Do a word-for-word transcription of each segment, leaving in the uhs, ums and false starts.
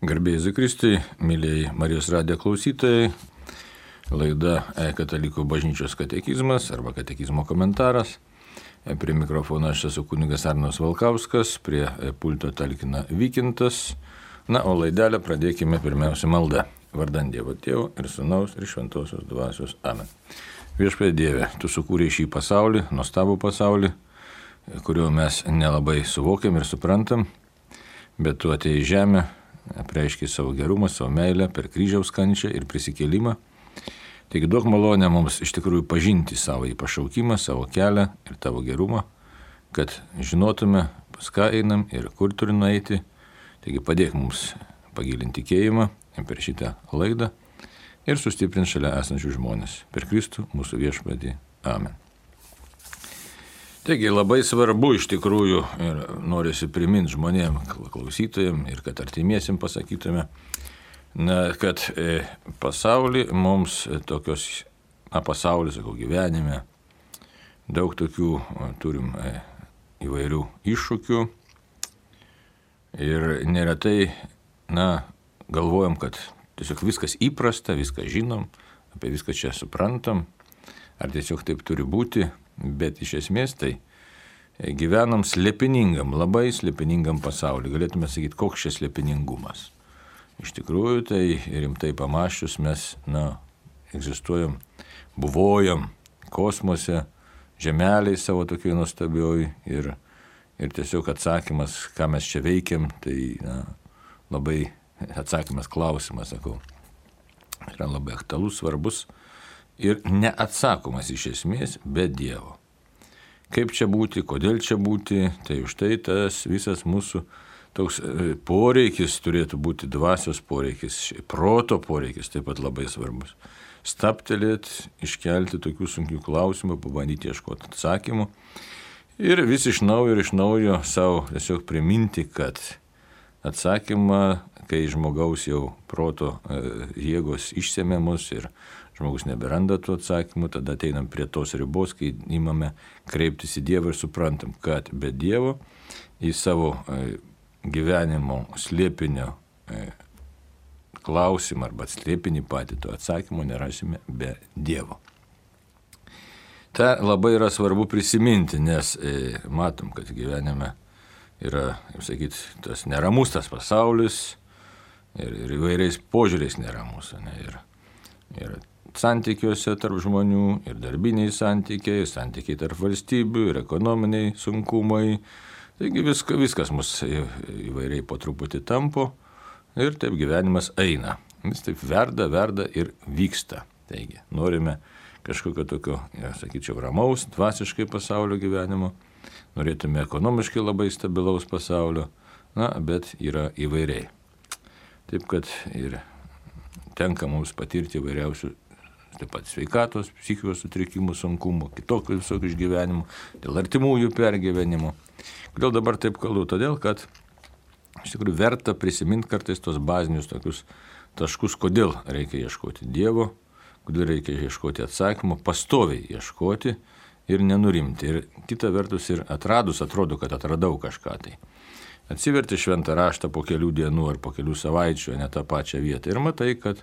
Garbėjai Jėzui Kristui, mėlyjei Marijos radijo klausytojai, laida Katalikų bažnyčios katekizmas arba katekizmo komentaras. Prie mikrofono aš esu kunigas Arnas Valkauskas, prie pulto talkina Vykintas. Na, o laidelę pradėkime pirmiausia malda. Vardant Dievo Tėvo ir Sūnaus ir Šventosios Dvasios. Amen. Viešpatie Dieve, Tu sukūrei šį pasaulį, nuostabų pasaulį, kurio mes nelabai suvokiam ir suprantam, bet Tu atėjai į žemę, apreiškiai savo gerumą, savo meilę per kryžiaus kančią ir prisikėlimą. Taigi duok malonę mums iš tikrųjų pažinti savo į pašaukimą, savo kelią ir Tavo gerumą, kad žinotume, pas ką einam ir kur turime nueiti. Taigi padėk mums pagilinti tikėjimą per šitą laidą ir sustiprint šalia esančių žmonės. Per Kristų mūsų viešpatį. Amen. Taigi labai svarbu iš tikrųjų ir norisi priminti žmonėm, klausytojim ir kad artimiesim pasakytume, na, kad e, pasaulį mums tokios, na, pasaulį, sakau, gyvenime, daug tokių turim e, įvairių iššūkių ir neretai, na, galvojam, kad tiesiog viskas įprasta, viską žinom, apie viską čia suprantam, ar tiesiog taip turi būti. Bet iš esmės tai gyvenam slėpiningam, labai slėpiningam pasauliu. Galėtume sakyti, koks čia slėpiningumas. Iš tikrųjų, tai rimtai pamąsčius mes, na, egzistuojam, buvojam kosmose, žemeliai savo tokioj nuostabioj ir, ir tiesiog atsakymas, ką mes čia veikiam, tai, na, labai atsakymas klausimas, sakau, yra labai aktualus, svarbus. Ir neatsakomas iš esmės be Dievo. Kaip čia būti, kodėl čia būti, tai už tai tas visas mūsų toks poreikis turėtų būti, dvasios poreikis, proto poreikis taip pat labai svarbus. Staptelėti, iškelti tokių sunkių klausimų, pabandyti ieškoti atsakymų ir vis iš naujo ir iš naujo savo tiesiog priminti, kad atsakymą, kai žmogaus jau proto jėgos išsemė mus ir žmogus neberanda tų atsakymų, tada ateinam prie tos ribos, kai imame kreiptis į Dievą ir suprantam, kad be Dievo į savo gyvenimo slėpinio klausimą arba slėpinį patį to atsakymo nerasime be Dievo. Ta labai yra svarbu prisiminti, nes matom, kad gyvenime yra, kaip sakyti, tas neramus tas pasaulis ir, ir įvairiais požiūriais neramus. Ne, ir, ir santykiuose tarp žmonių, ir darbiniai santykiai, santykiai tarp valstybių, ir ekonominiai sunkumai. Taigi viska, viskas mus įvairiai po truputį tampo ir taip gyvenimas eina. Jis taip verda, verda ir vyksta. Taigi norime kažkokio tokio, ja, sakyčiau, ramaus, dvasiškai pasaulio gyvenimo. Norėtume ekonomiškai labai stabilaus pasaulio, na, bet yra įvairiai. Taip, kad ir tenka mums patirti įvairiausių, taip pat sveikatos, psichikos sutrikimų, sunkumų, kitokių visokių išgyvenimų, dėl artimųjų pergyvenimų. Kodėl dabar taip kalbu? Todėl, kad iš tikrųjų verta prisiminti kartais tos bazinius tokius taškus, kodėl reikia ieškoti Dievo, kodėl reikia ieškoti atsakymų, pastoviai ieškoti ir nenurimti. Ir kita vertus ir atradus, atrodo, kad atradau kažką tai. Atsiverti šventą raštą po kelių dienų ar po kelių savaičių, ne tą pačią vietą. Ir matai, kad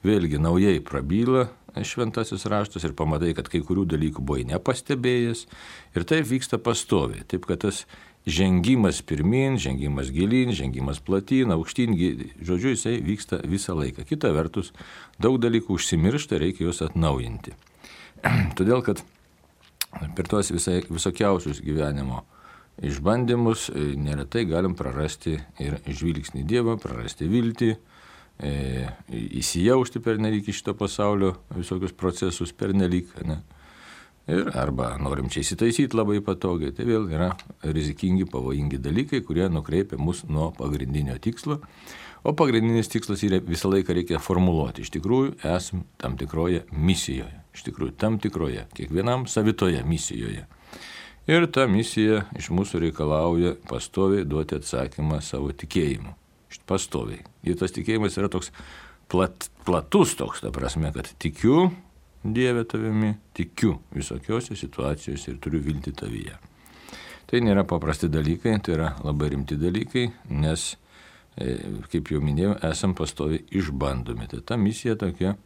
vėlgi naujai prabyla šventasis raštas ir pamatai, kad kai kurių dalykų buvai nepastebėjęs. Ir taip vyksta pastoviai. Taip, kad tas žengimas pirmin, žengimas gilin, žengimas platin, aukštyn, žodžiu, jisai vyksta visą laiką. Kita vertus, daug dalykų užsimiršta, reikia juos atnaujinti. Todėl, kad per tuos visai, visokiausius gyvenimo išbandymus neretai galim prarasti ir žvilgsnį Dievą, prarasti viltį, e, įsijausti pernelyg į šito pasaulio visokius procesus pernelyg, ne? Ir arba norim čia įsitaisyti labai patogiai. Tai vėl yra rizikingi, pavojingi dalykai, kurie nukreipia mus nuo pagrindinio tikslo. O pagrindinis tikslas yra visą laiką reikia formuluoti. Iš tikrųjų, esam tam tikroje misijoje. Iš tikrųjų, tam tikroje, kiekvienam savitoje misijoje. Ir ta misija iš mūsų reikalauja pastoviai duoti atsakymą savo tikėjimu. Pastoviai. Ir tas tikėjimas yra toks plat, platus toks, ta prasme, kad tikiu Dieve tavimi, tikiu visokiose situacijose ir turiu viltį tavyje. Tai nėra paprasti dalykai, tai yra labai rimti dalykai, nes kaip jau minėjau, esam pastoviai išbandomi. Tai ta misija tokia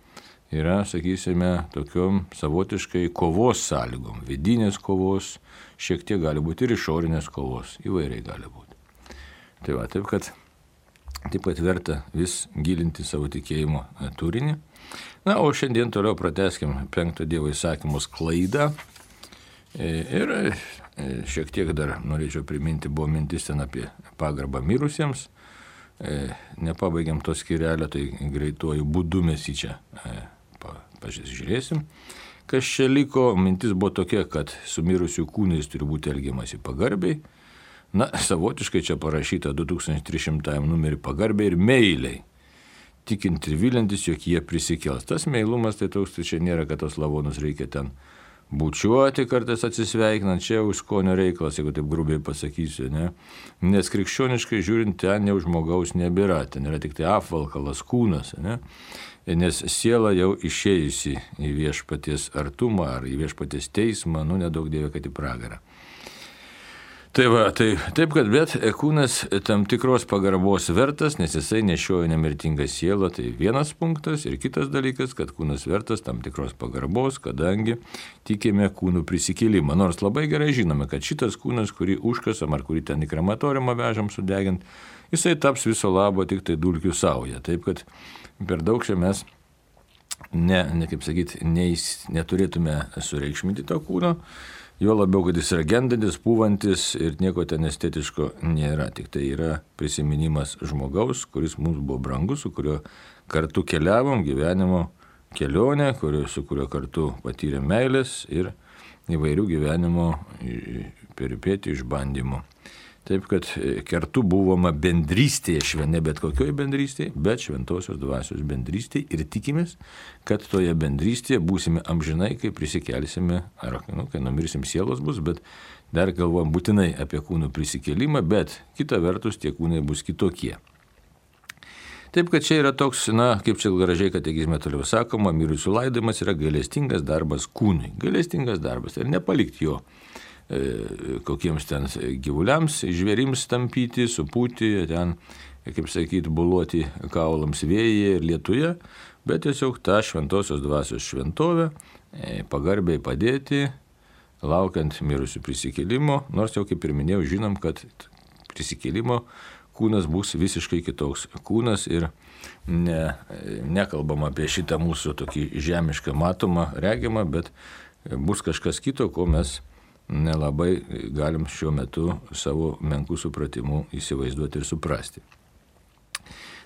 yra, sakysime, tokiom savotiškai kovos sąlygom, vidinės kovos, šiek tiek gali būti ir išorinės kovos, įvairiai gali būti. Tai va, taip kad, taip kad verta vis gilinti savo tikėjimo turinį. Na, o šiandien toliau pratęskim penkto Dievo įsakymo sklaidą. Ir šiek tiek dar norėčiau priminti, buvo mintis ten apie pagarbą mirusiems. Nepabaigiam to skyrelio, tai greituoju būdu mes į čia pasižiūrėsim. Kas čia liko, mintis buvo tokia, kad su mirusių kūnais turi būti elgiamasi pagarbiai. Na, savotiškai čia parašyta du tūkstančiai trys šimtai numerį pagarbiai ir meiliai. Tikint ir vilintis, jog jie prisikels. Tas meilumas, tai toks, tai čia nėra, kad tos lavonus reikia ten bučiuoti kartais atsisveikinant, čia už skonio reikalas, jeigu taip grubiai pasakysiu, ne? Nes krikščioniškai žiūrint, ten jau žmogaus nebėra, ten yra tik tai apvalkalas kūnas, ne? Nes siela jau išėjusi į viešpaties artumą ar į viešpaties teismą, nu nedaug dievė, kad į pragarą. Tai va, tai taip, kad bet kūnas tam tikros pagarbos vertas, nes jisai nešioja nemirtingą sielą, tai vienas punktas. Ir kitas dalykas, kad kūnas vertas tam tikros pagarbos, kadangi tikime kūnų prisikėlimą. Nors labai gerai žinome, kad šitas kūnas, kurį užkasam ar kurį ten į krematoriumą vežam sudegint, jisai taps viso labo tik tai dulkių sauja. Taip, kad per daug čia mes, ne, ne kaip sakyti, neįs, neturėtume sureikšminti to kūno. Jo labiau, kad jis yra gendantis, pūvantis ir nieko ten estetiško nėra. Tik tai yra prisiminimas žmogaus, kuris mums buvo brangus, su kuriuo kartu keliavom gyvenimo kelionę, kurio, su kuriuo kartu patyrėm meilės ir įvairių gyvenimo peripėti išbandymų. Taip, kad kartu buvome bendrystėje, švene bet kokioj bendrystėje, bet šventosios dvasios bendrystėje ir tikimės, kad toje bendrystėje būsime amžinai, kai prisikelsime, ar nu, kai numirsim sielos bus, bet dar galvojam būtinai apie kūnų prisikėlimą, bet kita vertus tie kūnai bus kitokie. Taip, kad čia yra toks, na, kaip čia gražiai katekizme toliau sakoma, mirusių laidojimas yra gailestingas darbas kūnui. Gailestingas darbas ir nepalikti jo kokiems ten gyvuliams, žvėrims tampyti, supūti, ten, kaip sakyti, buluoti kaulams vėjyje ir lietuje, bet tiesiog tą šventosios dvasios šventovę pagarbiai padėti, laukiant mirusių prisikėlimo, nors jau kaip ir minėjau, žinom, kad prisikėlimo kūnas bus visiškai kitoks kūnas ir ne, nekalbam apie šitą mūsų tokį žemišką matomą, regimą, bet bus kažkas kito, ko mes nelabai galim šiuo metu savo menkų supratimu įsivaizduoti ir suprasti.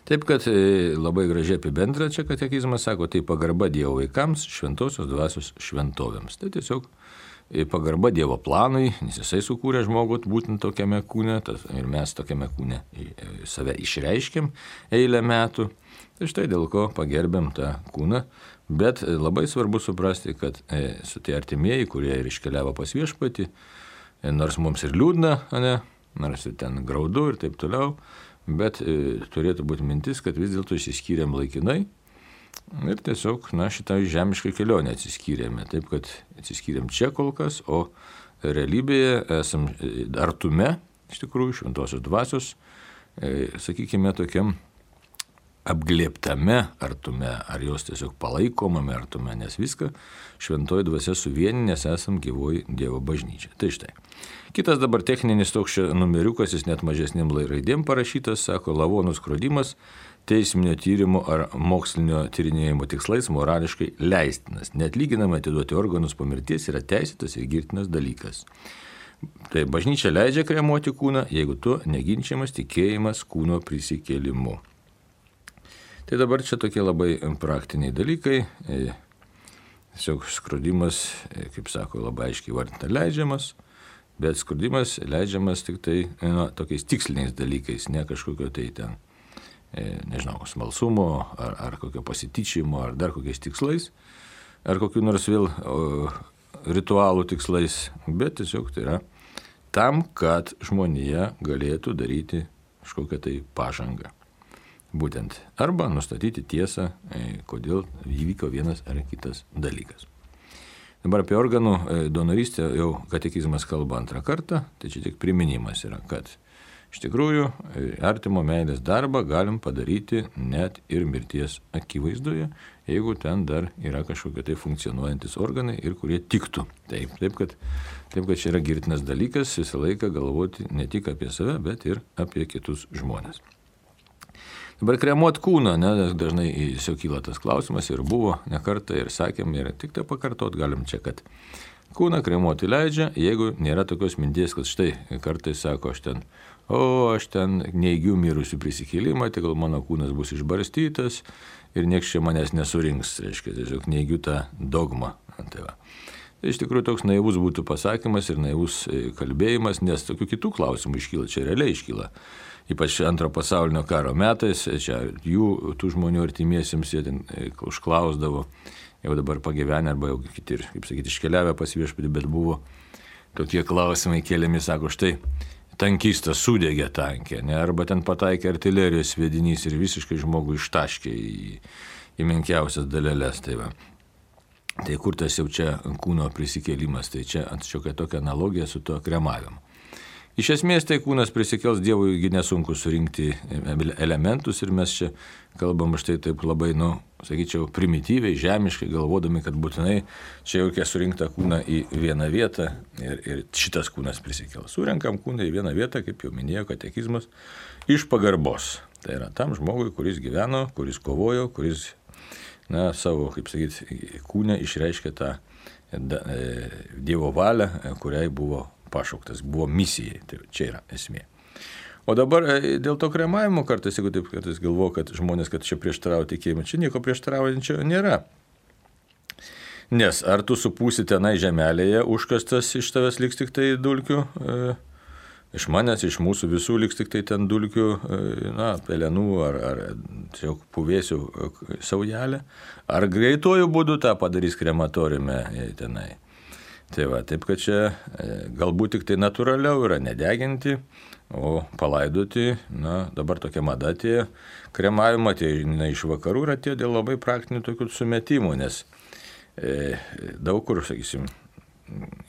Taip, kad labai gražiai apibendra čia katekizmas sako, tai pagarba Dievo vaikams, šventosios dvasios šventovėms. Tai tiesiog pagarba Dievo planui, nes jisai sukūrė žmogų būtent tokiame kūne, ir mes tokiame kūne save išreiškėm eilę metų. Tai štai dėl ko pagerbėm tą kūną. Bet labai svarbu suprasti, kad e, su tie artimieji, kurie ir iškeliavo pas viešpatį, e, nors mums ir liūdna, ne, nors ir ten graudu ir taip toliau, bet e, turėtų būti mintis, kad vis dėlto išsiskyrėm laikinai ir tiesiog, na, šitą žemišką kelionę atsiskyrėme. Taip, kad atsiskyrėm čia kol kas, o realybėje esam artume, iš tikrųjų, šventosios dvasios, e, sakykime, tokiam apglėptame artume, ar jos tiesiog palaikomame artume, nes viską šventoji dvasia suvienė, nes esam gyvoji Dievo bažnyčia. Tai štai. Kitas dabar techninis toks numeriukas, jis net mažesnėm raidėm parašytas, sako, lavonų skrodimas teisminio tyrimo ar mokslinio tyrinėjimo tikslais morališkai leistinas. Neatlyginamai atiduoti organus po mirties yra teisėtas ir girtinas dalykas. Tai bažnyčia leidžia kremuoti kūną, jeigu tu neginčiamas tikėjimas kūno prisikėlimu. Tai dabar čia tokie labai praktiniai dalykai. Tiesiog skrodimas, kaip sako, labai aiškiai vardinta leidžiamas, bet skrodimas leidžiamas tik tai nu, tokiais tiksliniais dalykais, ne kažkokio tai ten, nežinau, smalsumo ar, ar kokio pasityčimo, ar dar kokiais tikslais, ar kokiu nors vėl o, ritualų tikslais, bet tiesiog tai yra tam, kad žmonija galėtų daryti kažkokią tai pažangą. Būtent. Arba nustatyti tiesą, kodėl įvyko vienas ar kitas dalykas. Dabar apie organų donorystę jau katekizmas kalba antrą kartą, tai čia tik priminimas yra, kad Iš tikrųjų, artimo meilės darbą galim padaryti net ir mirties akivaizdoje, jeigu ten dar yra kažkokie tai funkcionuojantis organai ir kurie tiktų. Taip, taip, kad, taip, kad čia yra girtinas dalykas visą laiką galvoti ne tik apie save, bet ir apie kitus žmonės. Dabar kremuot kūną, ne, dažnai tiesiog kyla tas klausimas ir buvo ne kartą ir sakėm ir tik tai pakartot galim čia, kad kūną kremuoti leidžia, jeigu nėra tokios minties, kad štai kartais sako, aš ten, o aš ten neigiu mirusių prisikėlimą, tai gal mano kūnas bus išbarstytas ir nieks čia manęs nesurinks, reiškia, tiesiog neigiu tą dogmą. Tai va. Tai iš tikrųjų toks naivus būtų pasakymas ir naivus kalbėjimas, nes tokių kitų klausimų iškyla, čia realiai iškyla. Ypač antro pasaulinio karo metais, čia jų, tų žmonių artimiesiems jie ten užklausdavo, jau dabar pagyvenę arba jau kiti, kaip sakyti, iškeliavę pas viešpatį, bet buvo tokie klausimai keliami, sako, štai tankistas sudegė tankė, ne, arba ten pataikė artilerijos sviedinys ir visiškai žmogų ištaškė į, į menkiausias daleles. Tai, va. Tai kur tas jau čia kūno prisikėlimas, tai čia atšiokia tokia analogija su tuo kremavimu. Iš esmės tai kūnas prisikels, Dievui nesunku surinkti elementus ir mes čia kalbam štai taip labai, nu, sakyčiau, primityviai, žemiškai, galvodami, kad būtinai čia jau reikia surinkti kūną į vieną vietą ir, ir šitas kūnas prisikels. Surenkam kūną į vieną vietą, kaip jau minėjo katekizmas, iš pagarbos. Tai yra tam žmogui, kuris gyveno, kuris kovojo, kuris, na, savo, kaip sakyti, kūne išreiškė tą da, e, Dievo valią, kuriai buvo pašauktas, buvo misijai, tai čia yra esmė. O dabar dėl to kremavimo kartais, jeigu taip kartais galvoju, kad žmonės, kad čia prieštarauja tikėjimą, čia nieko prieštaraujančio nėra. Nes ar tu supūsi tenai žemelėje užkastas, iš tavęs liks tik tai dulkių, e, iš manęs, iš mūsų visų liks tik tai ten dulkių, e, na, pelenų ar, ar tiesiog puvėsių saujelę, ar greituoju būdu tą padarys krematoriume tenai. Tai va, taip, kad čia galbūt tik tai natūraliau yra nedeginti, o palaidoti, na, dabar tokia mada tie kremavimo, tie na, iš vakarų yra tie dėl labai praktinių tokių sumetimų, nes e, daug kur, sakysim,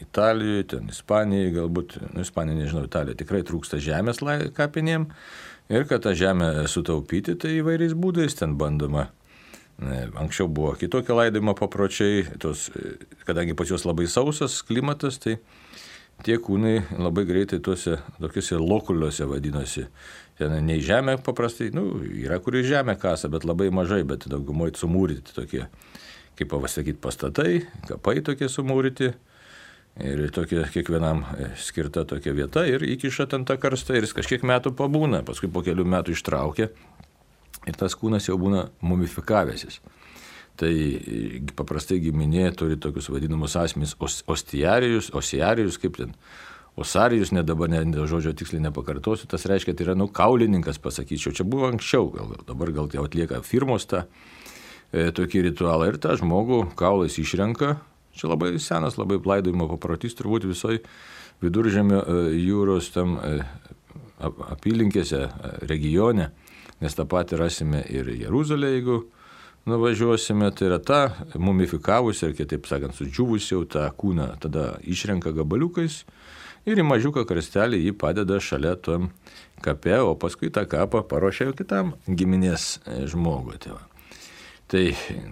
Italijoje, ten Ispanijoje, galbūt, nu, Ispanija, nežinau, Italija tikrai trūksta žemės kapinėm ir kad tą žemę sutaupyti, tai įvairiais būdais ten bandoma. Anksčiau buvo kitokie laidojimo papročiai, tos, kadangi pas juos labai sausas klimatas, tai tie kūnai labai greitai tuose tokiuose lokuliuose vadinosi. Ten ne į žemę paprastai, nu, yra kur į žemę kasa, bet labai mažai, bet daugumoje sumūryti tokie, kaip pasakyti, pastatai, kapai tokie sumūryti ir tokie kiekvienam skirta tokia vieta ir įkiša ten tą karstą ir jis kažkiek metų pabūna, paskui po kelių metų ištraukia. Ir tas kūnas jau būna mumifikavęsis. Tai paprastai giminė turi tokius vadinamus asmenys ostiarijus, osiarijus, kaip ten, osarijus, net dabar ne, žodžio tiksliai nepakartosiu, tas reiškia, tai yra, nu, kaulininkas, pasakyčiau, čia buvo anksčiau, gal, dabar gal jau atlieka firmos tą e, tokį ritualą ir tą žmogų kaulais išrenka, čia labai senas, labai laidojimo paprotys, turbūt visoje Viduržemio e, jūros tam e, apylinkėse, e, regione, nes tą patį rasime ir Jeruzalę, jeigu nuvažiuosime, tai yra ta mumifikavusi, ir kitaip sakant, sudžiūvusi jau tą kūną, tada išrenka gabaliukais ir į mažiuką karstelį jį padeda šalia tom kape, o paskui tą kapą paruošia jau kitam giminės žmogui. Tai, tai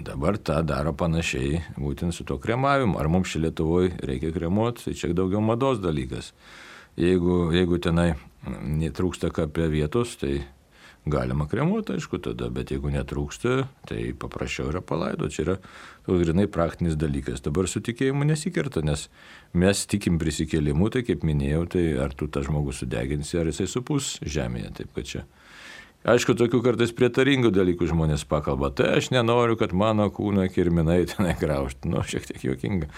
dabar tą daro panašiai būtent su to kremavimu. Ar mums čia Lietuvoje reikia kremuoti, tai čia daugiau mados dalykas. Jeigu, jeigu tenai netrūksta kape vietos, tai galima kremuoti, aišku, tada, bet jeigu netrūksta, tai paprasčiau yra palaido. Čia yra toks grinai praktinis dalykas. Dabar su tikėjimu nesikerta, nes mes tikim prisikėlimu, tai kaip minėjau, tai ar tu tą žmogų sudeginsi, ar jisai supus žemėje. Taip, kad čia. Aišku, tokių kartais prietaringų dalykų žmonės pakalba. Tai aš nenoriu, kad mano kūno kirminai tenai graužtų. Nu, šiek tiek juokinga.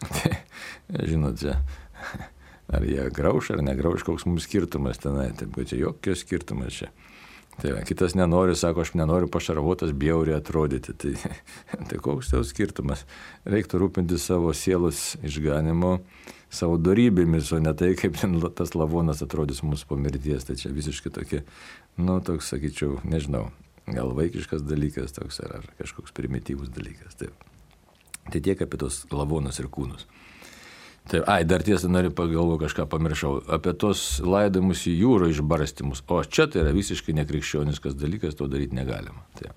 Tai, žinot, čia. Ar jie grauš ar negrauš, koks mums skirtumas tenai, taip, kad čia jokio skirtumas čia. Tai va, kitas nenori, sako, aš nenoriu pašarvotas bjauriai atrodyti, tai, tai koks tau skirtumas. Reiktų rūpinti savo sielos išganimo, savo dorybėmis, o ne tai, kaip ten tas lavonas atrodys mūsų po mirties. Tai čia visiškai tokie, nu, toks, sakyčiau, nežinau, gal vaikiškas dalykas toks ar, ar kažkoks primityvus dalykas. Taip. Tai tiek apie tos lavonus ir kūnus. Taip, ai, dar tiesą noriu pagalvoti, kažką pamiršau, apie tos laidamus į jūrą išbarstymus, o čia tai yra visiškai nekrikščioniškas dalykas, to daryti negalima. Taip.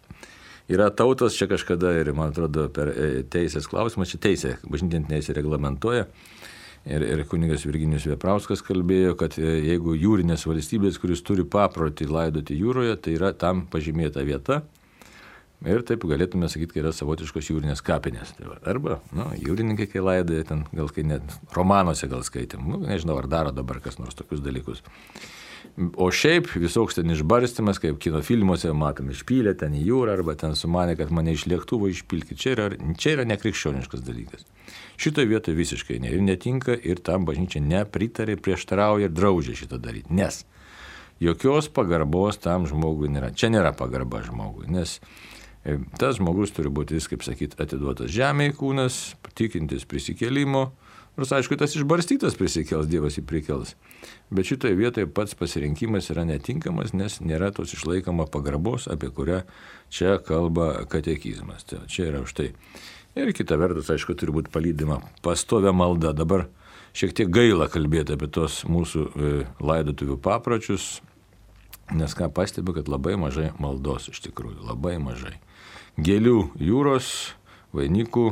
Yra tautos, čia kažkada ir, man atrodo, per teisės klausimą, čia teisė, bažnytinė teisė reglamentuoja, ir, ir kunigas Virginijus Vėprauskas kalbėjo, kad jeigu jūrinės valstybės, kuris turi paprotį laidoti jūroje, tai yra tam pažymėta vieta, ir taip galėtume sakyti, kad yra savotiškos jūrinės kapinės. Tai va, arba, nu, jūrininkai, kai laidoja, ten gal kai net romanuose gal skaitėm, nu, nežinau, ar daro dabar kas nors tokius dalykus. O šiaip visoks ten išbarstymas, kaip kino filmuose matom, išpylė ten į jūrą, arba ten sumanė, kad mane iš lėktuvo išpilkit. Čia yra, čia yra nekrikščioniškas dalykas. Šitoje vietoje visiškai ne, ir netinka, ir tam bažnyčia nepritarė, prieštarauja ir draudžia šitą daryti. Nes jokios pagarbos tam žmogui nėra. Čia nėra pagarba žmogui, nes tas žmogus turi būti, vis, kaip sakyti, atiduotas žemėje kūnas, tikintis prisikėlimo, nors aišku, tas išbarstytas prisikels, Dievas jį prikels. Bet šitoje vietoje pats pasirinkimas yra netinkamas, nes nėra tos išlaikoma pagarbos, apie kurią čia kalba katekizmas. Tai čia yra už tai. Ir kita vertus, aišku, turi būti palydima pastovia malda. Dabar šiek tiek gaila kalbėti apie tos mūsų laidotuvių papročius, nes ką pastebiu, kad labai mažai maldos iš tikrųjų, labai mažai. Gėlių jūros, vainikų,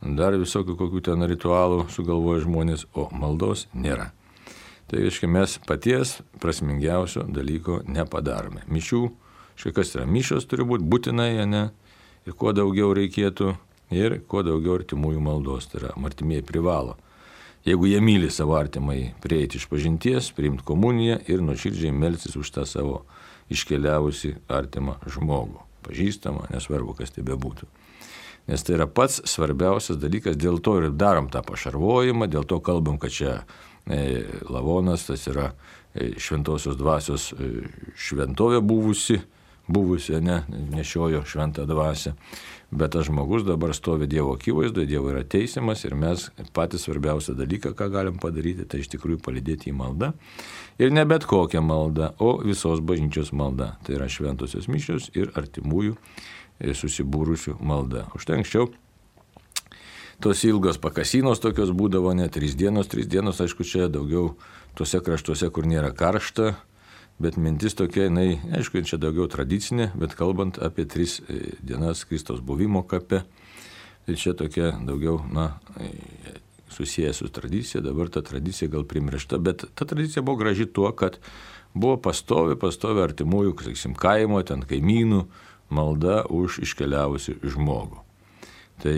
dar visokių kokių ten ritualų sugalvoja žmonės, o maldos nėra. Tai reiškia, mes paties prasmingiausio dalyko nepadarome. Mišių, štai kas yra, mišios turi būti būtinai, ne, ir kuo daugiau reikėtų, ir kuo daugiau artimųjų maldos, tai yra, artimieji privalo. Jeigu jie myli savo artimai, prieiti iš pažinties, priimti komuniją ir nuoširdžiai melstis už tą savo iškeliavusi artimą žmogų. Pažįstama, nesvarbu, kas tai bebūtų. Nes tai yra pats svarbiausias dalykas, dėl to ir darom tą pašarvojimą, dėl to kalbam, kad čia e, lavonas, tas yra e, šventosios dvasios e, šventovė buvusi, buvusi, ne, nešiojo šventą dvasią, bet tas žmogus dabar stovi Dievo akivaizdoje, Dievo yra teisiamas ir mes patys svarbiausią dalyką, ką galim padaryti, tai iš tikrųjų palydėti į maldą. Ir ne bet kokią maldą, o visos bažnyčios malda. Tai yra šventosios mišios ir artimųjų susibūrusių malda. Užtai anksčiau tos ilgos pakasinos tokios būdavo, ne trys dienos, trys dienos, aišku, čia daugiau tuose kraštuose, kur nėra karšta, bet mintis tokia, jinai, aišku, čia daugiau tradicinė, bet kalbant apie tris dienas Kristaus buvimo kape, tai čia tokia daugiau, na, susijęs su tradicija, dabar ta tradicija gal primiršta, bet ta tradicija buvo graži tuo, kad buvo pastovi, pastovi artimųjų, sakysim, kaimo, ten kaimynų malda už iškeliavusi žmogų. Tai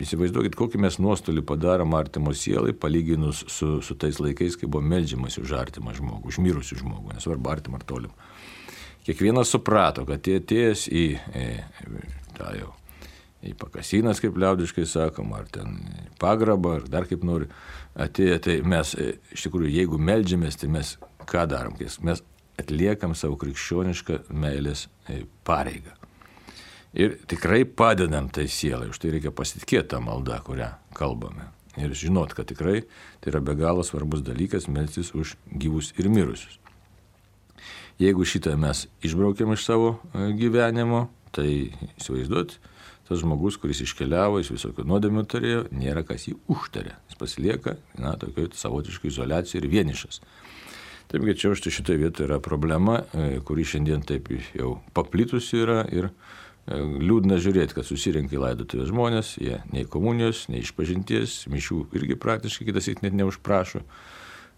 įsivaizduokit, kokį mes nuostolį padarom artimo sielai, palyginus su, su tais laikais, kai buvo meldžiamas už artimą žmogų, už mirusių žmogų, nesvarbu artimą ar tolimą. Kiekvienas suprato, kad tie atėjęs į, į, tą jau, į pakasinas, kaip liaudiškai sakoma, ar ten pagrabą, ar dar kaip nori, atėję, tai mes, iš tikrųjų, jeigu meldžiamės, tai mes ką darom? Mes atliekam savo krikščionišką meilės pareigą. Ir tikrai padedam tai sielai, už tai reikia pasitikėti tą maldą, kurią kalbame. Ir žinot, kad tikrai tai yra be galo svarbus dalykas melstis už gyvus ir mirusius. Jeigu šitą mes išbraukiam iš savo gyvenimo, tai įsivaizduot, tas žmogus, kuris iškeliavo, jis visokių nuodėmių turėjo, nėra kas jį užtarė. Jis pasilieka, na, tokio savotiškai izoliacijai ir vienišas. Taip, kad čia už tai šitoje vietoje yra problema, kuri šiandien taip jau paplitusi yra ir liūdna žiūrėti, kad susirenka į laidotuvės žmonės, jie nei komunijos, nei išpažinties, mišių irgi praktiškai kitas net neužprašo.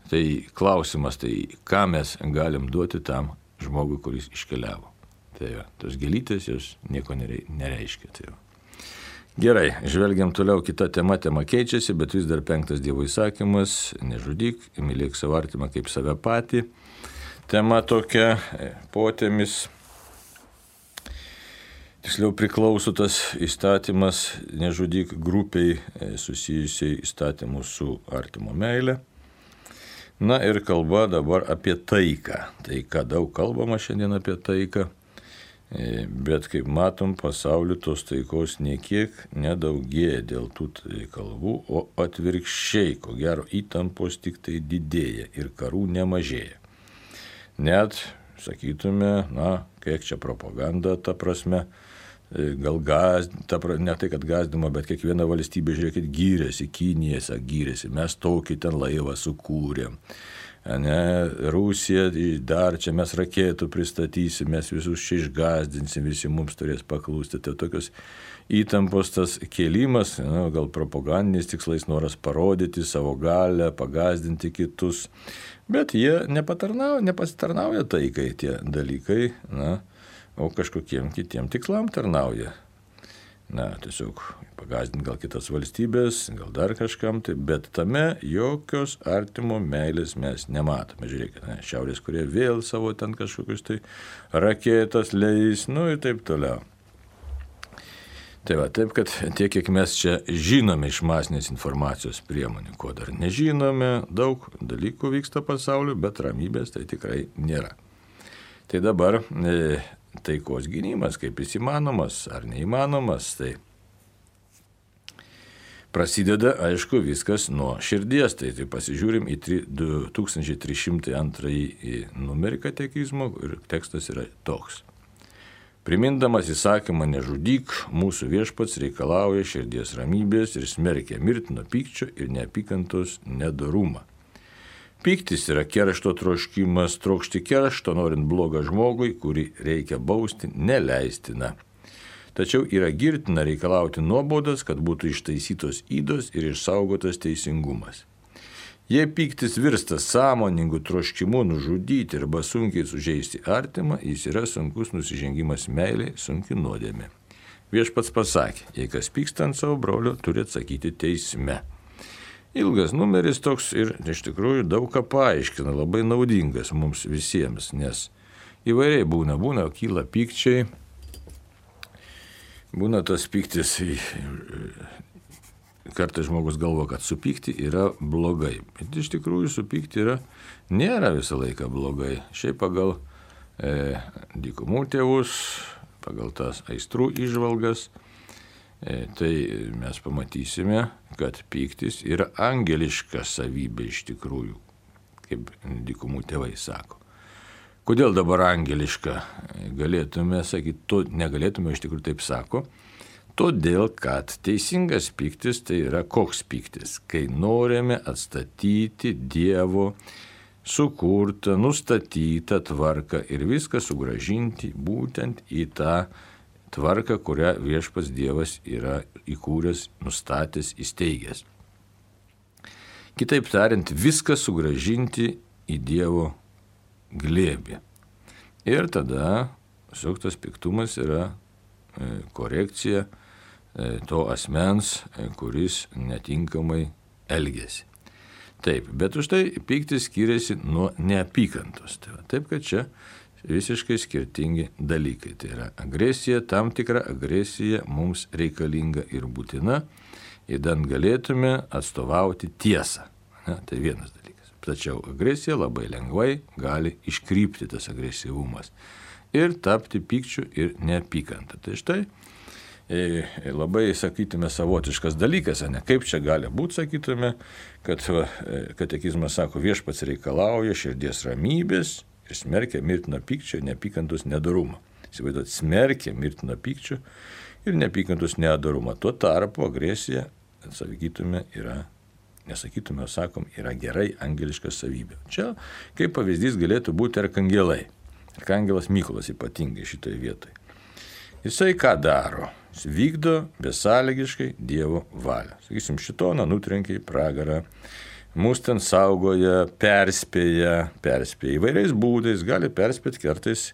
Tai klausimas, tai ką mes galim duoti tam žmogui, kuris iškeliavo. Tai va, tos gėlytės jos nieko nereiškia. Tai va. Gerai, žvelgiam toliau, kita tema, tema keičiasi, bet vis dar penktas Dievo įsakymas, nežudyk, mylėk savo artimą kaip save patį. Tema tokia, potėmis. Tiksliau priklauso tas įstatymas, nežudyk grupiai susijusiai įstatymų su artimo meile. Na ir kalba dabar apie taiką. Taika, daug kalbama šiandien apie taiką, bet kaip matom, pasauliu tos taikos niekiek nedaugėja dėl tų kalbų, o atvirkščiai, ko gero įtampos tik tai didėja ir karų nemažėja. Net, sakytume, na, kiek čia propaganda ta prasme, gal gazdino, ne tai, kad gazdino, bet kiekviena valstybė, žiūrėkit, gyrėsi, Kinija gyrėsi, mes tokį ten laivą sukūrėm. Ne, Rusija, dar čia mes raketų pristatysim, mes visus čia išgazdinsim, visi mums turės paklūsti. Tai tokios įtampos tas kėlimas, ne, gal propagandiniais tikslais noras parodyti savo galę, pagazdinti kitus, bet jie nepatarnauja, nepasitarnauja taikai tie dalykai, na, o kažkokiem kitiem tikslam tarnauja. Na, tiesiog pagazdinti gal kitas valstybės, gal dar kažkam, tai, bet tame jokios artimo meilės mes nematome. Žiūrėkite, ne, Šiaurės Korėja vėl savo ten kažkokius tai raketas leis, nu ir taip toliau. Tai va, taip, kad tiek, kiek mes čia žinome iš masinės informacijos priemonių, ko dar nežinome, daug dalykų vyksta pasauliu, bet ramybės tai tikrai nėra. Tai dabar e, taikos gynimas, kaip jis įmanomas ar neįmanomas, tai prasideda, aišku, viskas nuo širdies. Tai, tai pasižiūrim į du tūkstančiai trys šimtai antrąjį numerį katekizmo ir tekstas yra toks. Primindamas įsakymą nežudyk, mūsų viešpats reikalauja širdies ramybės ir smerkia mirtino pykčio ir neapykantos nedorumą. Pyktis yra keršto troškimas, trokšti keršto, norint blogą žmogui, kurį reikia bausti, neleistina. Tačiau yra girtina reikalauti nuobaudas, kad būtų ištaisytos ydos ir išsaugotas teisingumas. Jei pyktis virsta sąmoningų troškimu nužudyti arba sunkiai sužeisti artimą, jis yra sunkus nusižengimas meiliai, sunki nuodėmė. Viešpats pasakė, jei kas pyksta ant savo brolio, turi atsakyti teisme. Ilgas numeris toks ir iš tikrųjų daug ką paaiškina, labai naudingas mums visiems, nes įvairiai būna, būna, kyla pykčiai, būna tas pyktis, kartais žmogus galvo, kad supykti yra blogai, bet iš tikrųjų supykti yra, nėra visą laiką blogai. Šiaip pagal e, dykumų tėvus, pagal tas aistrų įžvalgas, E, tai mes pamatysime, kad pyktis yra angeliška savybė iš tikrųjų, kaip dykumų tėvai sako. Kodėl dabar angeliška? Galėtume sakyti, to negalėtume, iš tikrųjų taip sako. Todėl, kad teisingas pyktis tai yra koks pyktis, kai norime atstatyti Dievo sukurtą, nustatytą tvarką ir viską sugrąžinti būtent į tą tvarką, kurią viešpats Dievas yra įkūręs, nustatęs, įsteigęs. Kitaip tariant, viską sugrąžinti į Dievo glėbį. Ir tada suktas piktumas yra korekcija to asmens, kuris netinkamai elgėsi. Taip, bet už tai pyktis skiriasi nuo neapykantos. Taip, kad čia visiškai skirtingi dalykai. Tai yra agresija, tam tikra agresija mums reikalinga ir būtina, įdant galėtume atstovauti tiesą. Ne, tai vienas dalykas. Tačiau agresija labai lengvai gali iškrypti tas agresyvumas ir tapti pykčiu ir neapykanta. Tai štai e, labai, sakytume, savotiškas dalykas, ne? Kaip čia gali būti, sakytume, kad va, katekizmas sako, viešpats reikalauja širdies ramybės ir smerkia mirtino pykčio ir neapykantos nedorumą. Įsivaizduot, smerkia mirtino pykčio ir neapykantos nedorumą. Tuo tarpu agresija, sakytume, yra, nesakytume, o sakom, yra gerai angeliška savybė. Čia kaip pavyzdys galėtų būti arkangelai. Arkangelas Mykolas ypatingai šitoje vietoje. Jisai ką daro? Jis vykdo besąlygiškai Dievo valią. Sakysim, šitoną nutrenkia į pragarą. Mūsų ten saugoja, perspėja, perspėja įvairiais būdais, gali perspėti kartais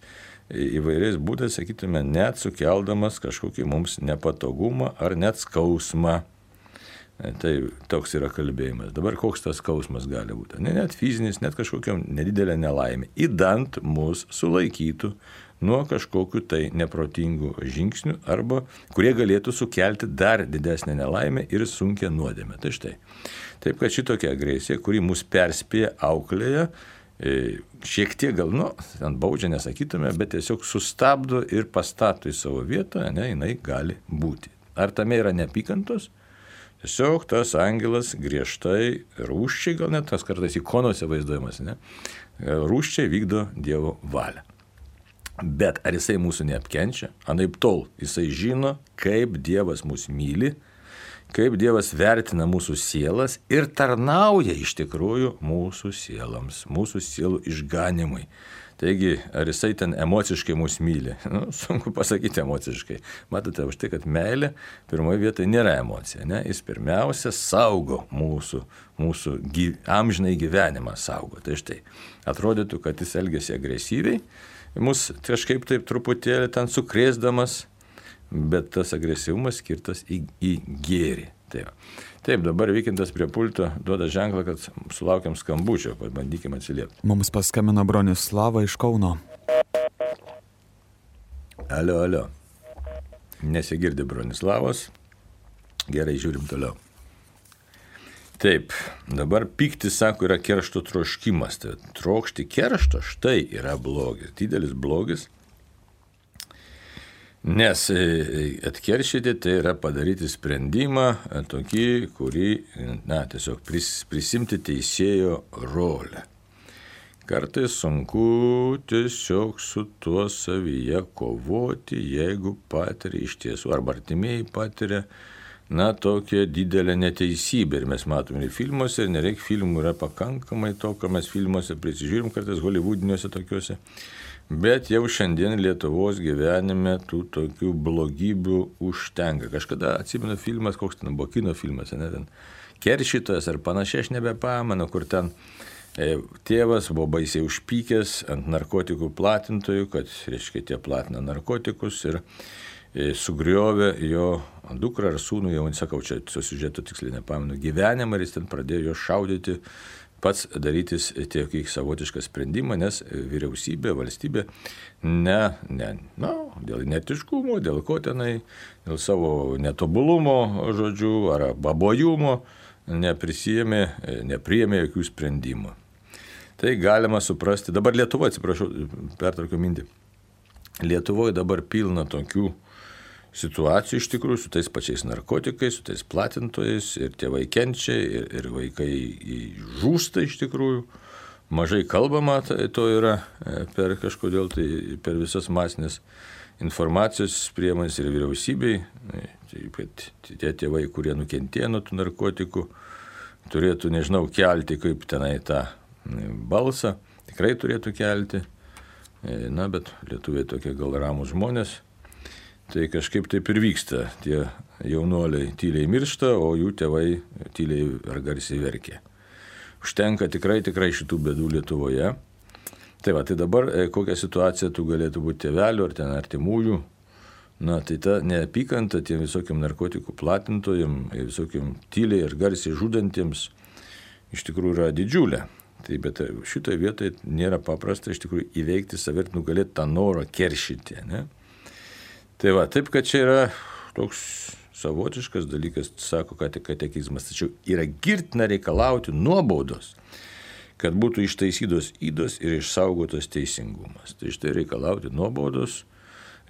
įvairiais būdais, sakytume, net sukeldamas kažkokį mums nepatogumą ar net skausmą. Tai toks yra kalbėjimas. Dabar koks tas skausmas gali būti? Ne net fizinis, net kažkokia nedidelė nelaimė. Įdant mus sulaikytų nuo kažkokių tai neprotingų žingsnių arba kurie galėtų sukelti dar didesnę nelaimę ir sunkią nuodėmę. Tai štai. Taip, kad šitokia agresija, kuri mus perspėja, auklėja, šiek tiek gal, nu, ant baudžia nesakytume, bet tiesiog sustabdo ir pastato į savo vietą, ne, jinai gali būti. Ar tame yra neapykantos? Tiesiog tas angelas griežtai, rūsčiai, gal net tas kartais ikonose vaizduojamas, ne, rūsčiai vykdo Dievo valią. Bet ar jisai mūsų neapkenčia? Anaip tol jisai žino, kaip Dievas mus myli, kaip Dievas vertina mūsų sielas ir tarnauja iš tikrųjų mūsų sielams, mūsų sielų išganimui. Taigi, ar jisai ten emociškai mus myli? Nu, sunku pasakyti emociškai. Matote, už tai, kad meilė pirmoje vietoje nėra emocija. Ne? Jis pirmiausia saugo mūsų, mūsų gyv, amžinai gyvenimą saugo. Tai štai, atrodytų, kad jis elgiasi agresyviai, mus kažkaip taip truputėlį ten sukrėsdamas, bet tas agresyvumas skirtas į, į gėrį. Taip. Taip, dabar Vykintas prie pulto duoda ženklą, kad sulaukiam skambučio, pabandykim atsiliepti. Mums paskambino Bronislava iš Kauno. Alio, alio. Nesigirdi Bronislavos. Gerai, žiūrim toliau. Taip, dabar pyktis, sako, yra keršto troškimas. Tai trokšti keršto, štai yra blogis, didelis blogis. Nes atkeršyti tai yra padaryti sprendimą tokį, kurį, na, tiesiog pris, prisimti teisėjo rolę. Kartais sunku tiesiog su tuo savyje kovoti, jeigu patiria iš tiesų, arba artimieji patiria, na, tokia didelė neteisybė. Ir mes matome ir filmuose, ir nereik filmų, yra pakankamai to, ką mes filmuose prisižiūrim, kartais holivudiniuose tokiuose. Bet jau šiandien Lietuvos gyvenime tų tokių blogybių užtenka. Kažkada atsimenu filmas, koks ten buvo kino filmas, ne, ten Keršytojas ar panašiai, aš nebepamenu, kur ten e, tėvas buvo baisiai užpykęs ant narkotikų platintojų, kad, reiškia, tie platina narkotikus ir e, sugriovė jo dukrą ar sūnų, jau sakau, čia susižeto tiksliai nepamenu, gyvenimą ir jis ten pradėjo jo šaudyti, pats darytis tiek savotišką sprendimą, nes vyriausybė, valstybė, ne, ne, na, dėl netiškumo, dėl ko tenai, dėl savo netobulumo, žodžių, ar babojumo, neprisijėmė, nepriėmė jokių sprendimų. Tai galima suprasti, dabar Lietuvoje, atsiprašau, pertraukiu mintį, Lietuvoje dabar pilna tokių situacijų iš tikrųjų su tais pačiais narkotikais, su tais platintojais ir tėvai kenčia ir, ir vaikai žūsta iš tikrųjų. Mažai kalbama to yra per kažkodėl tai per visas masinės informacijos priemonės ir vyriausybei. Taip, kad tie tėvai, kurie nukentėjo nuo tų narkotikų, turėtų, nežinau, kelti kaip tenai tą balsą. Tikrai turėtų kelti. Na, bet lietuviai tokie gal ramūs žmonės. Tai kažkaip taip ir vyksta. Tie jaunuoliai tyliai miršta, o jų tėvai tyliai ar garsiai verkia. Užtenka tikrai, tikrai šitų bėdų Lietuvoje. Tai va, tai dabar kokia situacija tu galėtų būti tėvelių ar ten artimųjų. Na, tai ta neapykanta tiem visokiam narkotikų platintojim, visokiam tyliai ir garsiai žudantiems iš tikrųjų yra didžiulė. Tai bet šitoje vietoje nėra paprasta iš tikrųjų įveikti save ir nugalėti tą norą keršyti, ne? Tai va, taip, kad čia yra toks savotiškas dalykas, sako katekizmas, tačiau yra girtina reikalauti nuobaudos, kad būtų ištaisytos ydos ir išsaugotas teisingumas. Tai štai reikalauti nuobaudos,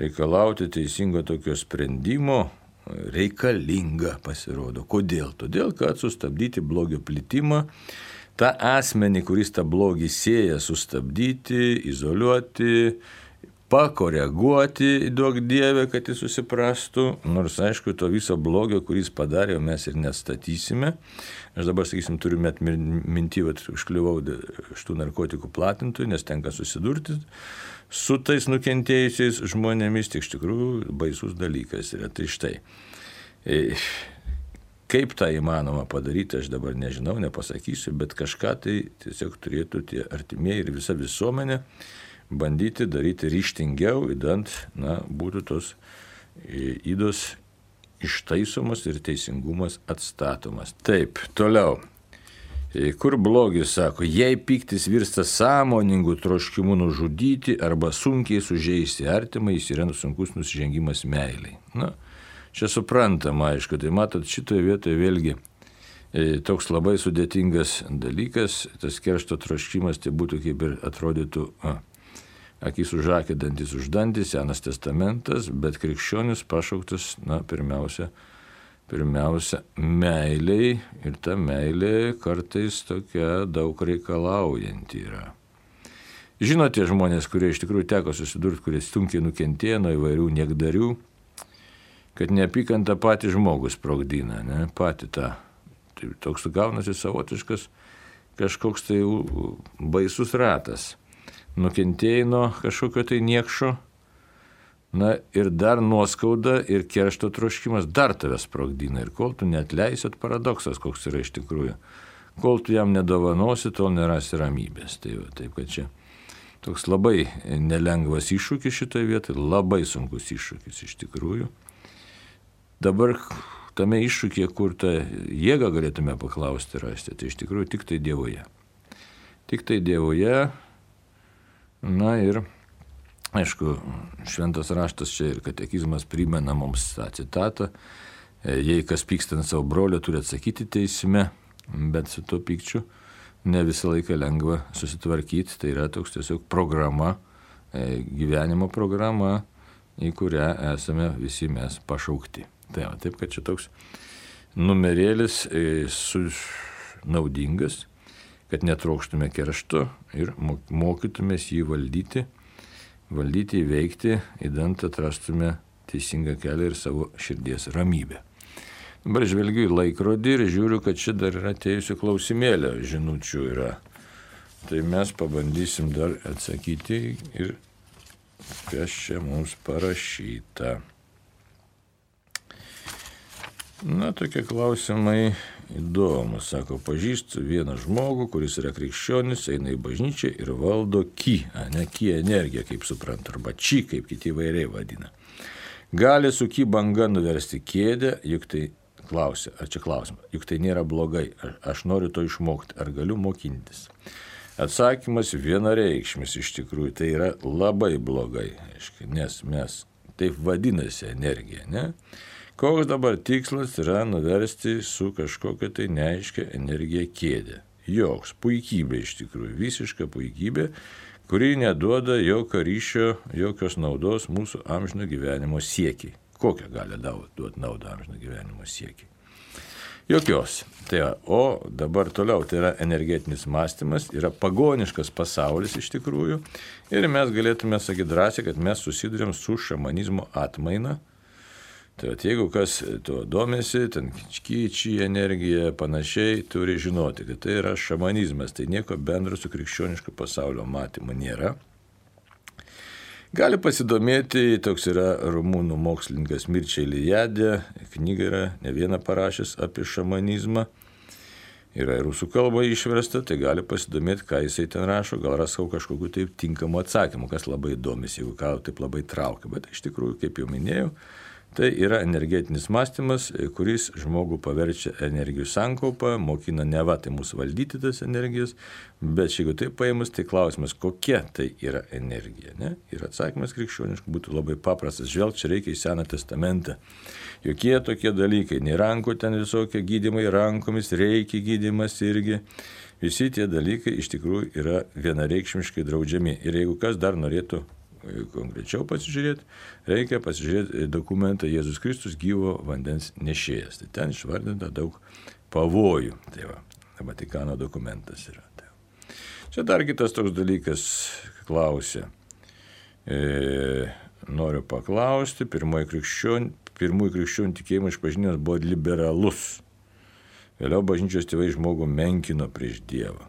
reikalauti teisingo tokio sprendimo reikalinga pasirodo. Kodėl? Todėl, kad sustabdyti blogio plitimą, tą asmenį, kuris tą blogį sieja, sustabdyti, izoliuoti, pakoreguoti, duok Dieve, kad jis susiprastų, nors aišku, to viso blogio, kuris padarė, mes ir nestatysime. Aš dabar, sakysim, turiu met mintį, kad užkliuvau šitų narkotikų platintojų, nes tenka susidurti su tais nukentėjusiais žmonėmis, tik iš tikrųjų baisus dalykas yra. Tai štai, kaip tą įmanoma padaryti, aš dabar nežinau, nepasakysiu, bet kažką tai tiesiog turėtų tie artimieji ir visa visuomenė bandyti daryti ryžtingiau, idant, na, būtų tos ydos ištaisomos ir teisingumas atstatomas. Taip, toliau. Kur blogis, sako, jei pyktis virsta sąmoningų troškimų nužudyti arba sunkiai sužeisti artimą, jis yra sunkus nusižengimas meiliai. Na, čia suprantama, aišku, tai matot, šitoje vietoje vėlgi toks labai sudėtingas dalykas, tas keršto troškimas, tai būtų kaip ir atrodytų, a, akis už akį, dantis už dantį, Senas testamentas, bet krikščionis pašauktas, na, pirmiausia, pirmiausia, meiliai, ir ta meilė kartais tokia daug reikalaujanti yra. Žinote žmonės, kurie iš tikrųjų teko susidurti, kurie sunkiai nukentėjo nuo įvairių niekdarių, kad neapykanta patį žmogų sprogdina, ne, patį tą. Tai toks gaunasi savotiškas kažkoks tai baisus ratas. Nukentėjai nuo kažkokio tai niekšo, na ir dar nuoskauda ir keršto troškimas dar tave sprogdina. Ir kol tu neatleisit, paradoksas koks yra iš tikrųjų. Kol tu jam nedovanosi, tol nerasi ramybės. Tai va, taip, kad čia toks labai nelengvas iššūkis šitoje vietoje, labai sunkus iššūkis iš tikrųjų. Dabar tame iššūkyje, kur tą jėgą galėtume paklausti rasti, tai iš tikrųjų tik tai Dievoje. Tik tai Dievoje, na ir, aišku, šventas raštas čia ir katekizmas primena mums tą citatą, jei kas pyksta ant savo brolio, turi atsakyti teisme, bet su tuo pykčiu ne visą laiką lengva susitvarkyti, tai yra toks tiesiog programa, gyvenimo programa, į kurią esame visi mes pašaukti. Tai va, taip, kad čia toks numerėlis su, naudingas, kad netrokštume keršto ir mokytumės jį valdyti, valdyti, įveikti, įdant atrastume teisingą kelią ir savo širdies ramybę. Dabar žvelgiu į laikrodį ir žiūriu, kad čia dar yra atėjusių klausimėlio žinučių yra. Tai mes pabandysim dar atsakyti ir kas čia mums parašyta. Na, tokie klausimai įdomus. Sako, pažįstu vieną žmogų, kuris yra krikščionis, eina į bažnyčią ir valdo ki, a ne ki energiją, kaip suprantu, arba či, kaip kiti įvairiai vadina. Gali su ki banga nuversti kėdę, juk tai klausia, ar čia klausimas, juk tai nėra blogai, aš noriu to išmokti, ar galiu mokintis. Atsakymas vienareikšmis iš tikrųjų, tai yra labai blogai, nes mes taip vadinasi energija, ne? Koks dabar tikslas yra nuversti su kažkokia tai neaiškia energija kėdę. Joks, puikybė iš tikrųjų, visiška puikybė, kuri neduoda jokio ryšio, jokios naudos mūsų amžino gyvenimo siekiai. Kokią gali duoti naudą amžino gyvenimo siekiai? Jokios. Tai va, o dabar toliau, tai yra energetinis mąstymas, yra pagoniškas pasaulis iš tikrųjų ir mes galėtume sakyti drąsiai, kad mes susidurėm su šamanizmo atmaina. Tai va, jeigu kas tuo domisi, ten kyčiai, energija, panašiai, turi žinoti, kad tai yra šamanizmas, tai nieko bendro su krikščionišku pasaulio matymu nėra. Gali pasidomėti, toks yra rumūnų mokslininkas Mircea Eliade, knyga yra ne vieną parašęs apie šamanizmą, yra ir rusų kalba išversta, tai gali pasidomėti, ką jisai ten rašo, gal rasau kažkokiu taip tinkamu atsakymu, kas labai įdomis, jeigu ką taip labai traukia, bet iš tikrųjų, kaip jau minėjau, tai yra energetinis mąstymas, kuris žmogų paverčia energijų sankaupą, mokina neva tai mūsų valdyti tas energijas, bet jeigu taip paėmus, tai klausimas, kokia tai yra energija. Ne? Ir atsakymas krikščioniškų būtų labai paprastas. Žvelg, čia reikia į Seną testamentą. Jokie tokie dalykai, nei rankų ten visokie gydymai, rankomis reikia gydymas irgi. Visi tie dalykai iš tikrųjų yra vienareikšmiškai draudžiami. Ir jeigu kas dar norėtų konkrečiau pasižiūrėti, reikia pasižiūrėti dokumentą Jėzus Kristus gyvo vandens nešėjas. Tai ten išvardinta daug pavojų. Tai va, Vatikano dokumentas yra. Tai čia dar kitas toks dalykas klausia. E, noriu paklausti, pirmoji krikščionių, pirmųjų krikščionių tikėjimo išpažinimas buvo liberalus. Vėliau bažnyčios tėvai žmogų menkino prieš Dievą.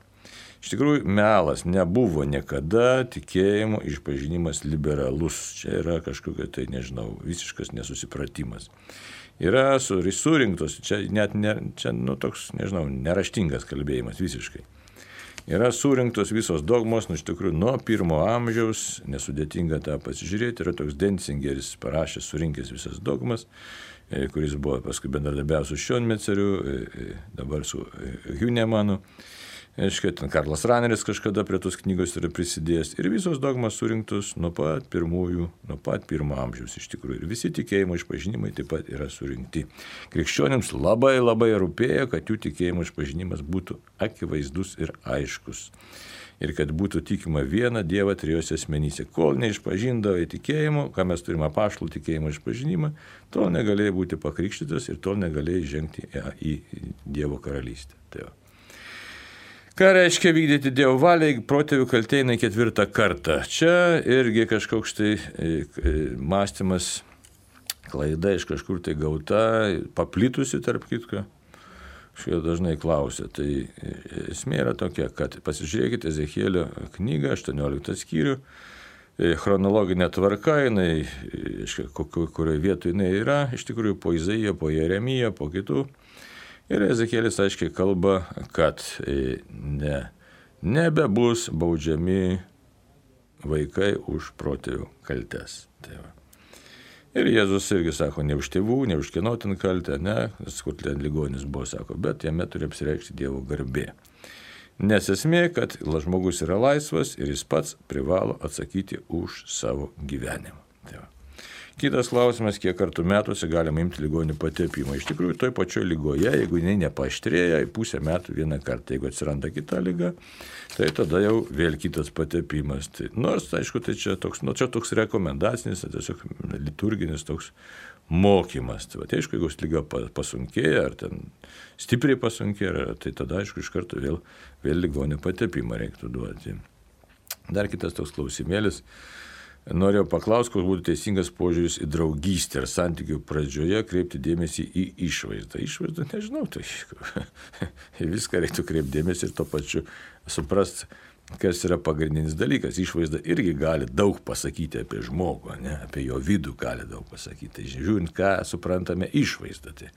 Iš tikrųjų, melas, nebuvo niekada tikėjimo išpažinimas liberalus. Čia yra kažkokia tai, nežinau, visiškas nesusipratimas. Yra surinktos, čia net ne, čia, nu, toks, nežinau, neraštingas kalbėjimas visiškai. Yra surinktos visos dogmos, nu, iš tikrųjų, nuo pirmo amžiaus, nesudėtinga tą pasižiūrėti, yra toks Denzingeris parašęs, surinkęs visas dogmas, kuris buvo paskui bendradarbiavęs su Šionmeceriu, dabar su Hünemanu. Aiškiai, ten Karlas Raneris kažkada prie tos knygos yra prisidėjęs ir visos dogmas surinktos nuo pat pirmųjų, nuo pat pirmo amžiaus iš tikrųjų. Ir visi tikėjimo išpažinimai taip pat yra surinkti. Krikščionims labai labai rūpėjo, kad jų tikėjimo išpažinimas būtų akivaizdus ir aiškus. Ir kad būtų tikima viena Dievą trijose asmenyse. Kol neišpažindavai tikėjimo, ką mes turime apaštalų tikėjimo išpažinimą, tol negalėjai būti pakrikštytas ir tol negalėjai žengti į Dievo karalystę. Tai va. Ką reiškia vykdyti Dievo valią, protėvių kaltė eina ketvirtą kartą? Čia irgi kažkoks tai mąstymas, klaida iš kažkur tai gauta, paplitusi tarp kitko. Šie dažnai klausia. Tai esmė yra tokia, kad pasižiūrėkite Ezechielio knygą, aštuonioliktą skyrių, chronologinė tvarka, jinai, kurioje vietoje jinai yra, iš tikrųjų po Izaiją, po Jeremiją, po kitų. Ir Ezekielis aiškiai kalba, kad ne, nebebus baudžiami vaikai už protėvių kaltes. Tai va. Ir Jėzus irgi sako, ne už tėvų, ne už kieno ten kaltę, ne, kur ten ligonis buvo, sako, bet jame turi apsireikšti Dievo garbė. Nes esmė, kad žmogus yra laisvas ir jis pats privalo atsakyti už savo gyvenimą. Tai va. Kitas klausimas, kiek kartų metuose galima imti ligonių patepimą. Iš tikrųjų, toj pačioj lygoje, jeigu jinai nepaaštrėja, į pusę metų vieną kartą, jeigu atsiranda kita lyga, tai tada jau vėl kitas patepimas. Tai, nors, aišku, tai čia toks, nu, čia toks rekomendacinis, tai tiesiog liturginis toks mokymas. Tai, va, tai aišku, jeigu lyga pasunkėja, ar ten stipriai pasunkėja, tai tada, aišku, iš karto vėl, vėl ligonių patepimą reiktų duoti. Dar kitas toks klausimėlis. Norėjau paklausti, koks būtų teisingas požiūris į draugystę ir santykių pradžioje kreipti dėmesį į išvaizdą. Išvaizdą, nežinau, tai viską reiktų kreipti dėmesį ir to pačiu suprast, kas yra pagrindinis dalykas. Išvaizda irgi gali daug pasakyti apie žmogų, ne? Apie jo vidų gali daug pasakyti. Tai žiūrint, ką suprantame išvaizdą. Tai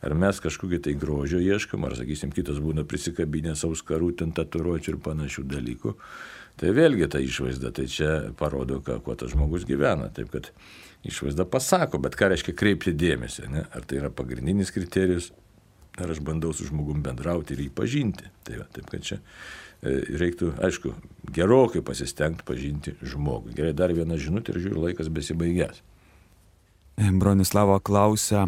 ar mes kažkokį tai grožio ieškam, ar, sakysim, kitas būna prisikabinės auskarų, ten tatuiruočių ir panašių dalykų. Tai vėlgi ta išvaizda, tai čia parodo, ką, kuo tas žmogus gyvena. Taip, kad išvaizda pasako, bet ką reiškia kreipti dėmesį, ne? Ar tai yra pagrindinis kriterijus, ar aš bandau su žmogum bendrauti ir jį pažinti. Tai va, taip, kad čia reiktų, aišku, gerokai pasistengti pažinti žmogų. Gerai, dar vieną žinutę ir žiūriu, laikas besibaigęs. Bronislavo klausia,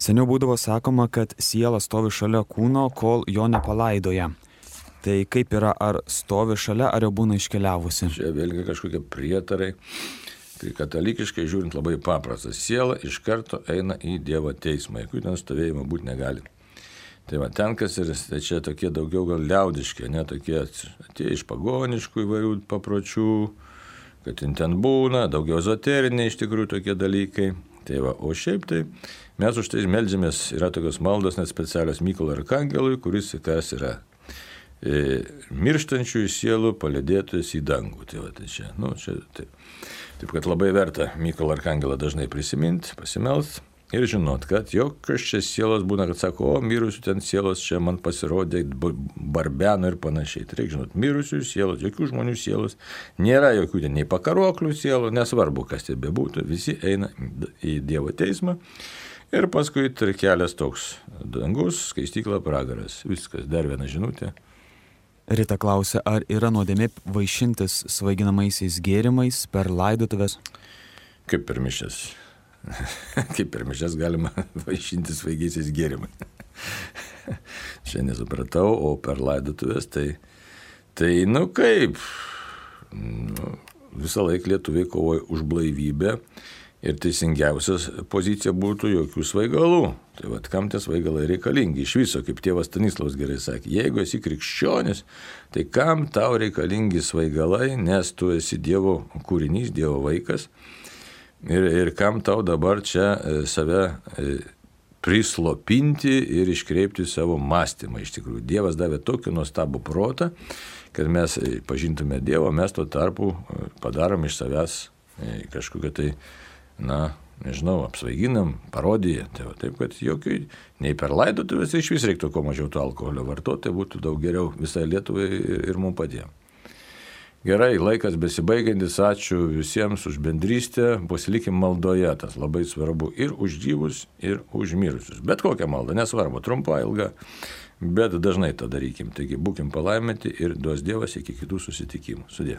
seniau būdavo sakoma, kad siela stovi šalia kūno, kol jo nepalaidoja. Tai kaip yra, ar stovi šalia, ar jau būna iškeliavusi? Čia vėlgi kažkokie prietarai. Tai katalikiškai žiūrint labai paprastas. Siela iš karto eina į Dievo teismą, jeigu ten stovėjimo būti negali. Tai va, ten kas ir tai čia tokie daugiau gal liaudiški, ne tokie tie iš pagoniškų įvairių papročių, kad ten būna, daugiau ezoteriniai iš tikrųjų tokie dalykai. Tai va, o šiaip tai mes už tai meldžiamės, yra tokios maldos net specialios Mykolo arkangelui, kuris kas yra mirštančiųjų sielų palydėtojas į dangų. Tai va, tai čia, nu, čia, taip. Taip, kad labai verta Mykolo arkangelą dažnai prisiminti, pasimelst ir žinot, kad jokios čia sielos būna, kad sako, o mirusių ten sielos čia man pasirodė, barbeno ir panašiai. Tai reikia žinot, mirusių sielos, jokių žmonių sielos, nėra jokių ten nei pakaroklių sielų, nesvarbu, kas tai bebūtų, visi eina į Dievo teismą. Ir paskui tai kelias toks, dangus, skaistykla, pragaras. Viskas, dar viena žinutė. Rita klausia, ar yra nuodėmė vaišintis svaiginamaisiais gėrimais per laidotuvės? Kaip per mišias. Kaip per mišias galima vaišintis svaigiaisiais gėrimais. Čia nesupratau, o per laidotuvės tai, tai nu kaip, nu, visą laiką lietuviai kovoja už blaivybę. Ir teisingiausias pozicija būtų jokių svaigalų. Tai vat, kam tie svaigalai reikalingi? Iš viso, kaip tėvas Stanislavas gerai sakė, jeigu esi krikščionis, tai kam tau reikalingi svaigalai, nes tu esi Dievo kūrinys, Dievo vaikas. Ir, ir kam tau dabar čia save prislopinti ir iškreipti savo mąstymą. Iš tikrųjų, Dievas davė tokį nuostabų protą, kad mes pažintume Dievą, mes tuo tarpu padarom iš savęs kažkokią tai, na, nežinau, apsvaiginam, parodiją. Tai va, taip, kad jokių, nei per laidotuvės iš vis reiktų kuo mažiau to alkoholio vartoti, tai būtų daug geriau visai Lietuvai ir, ir mums patiems. Gerai, laikas besibaigiantis, ačiū visiems už bendrystę, pasilikim maldoje, tas labai svarbu ir už gyvus, ir už mirusius. Bet kokią maldą, nesvarbu, trumpa, ilga, bet dažnai tą darykim. Taigi būkim palaiminti ir duos Dievas iki kitų susitikimų. Sudie.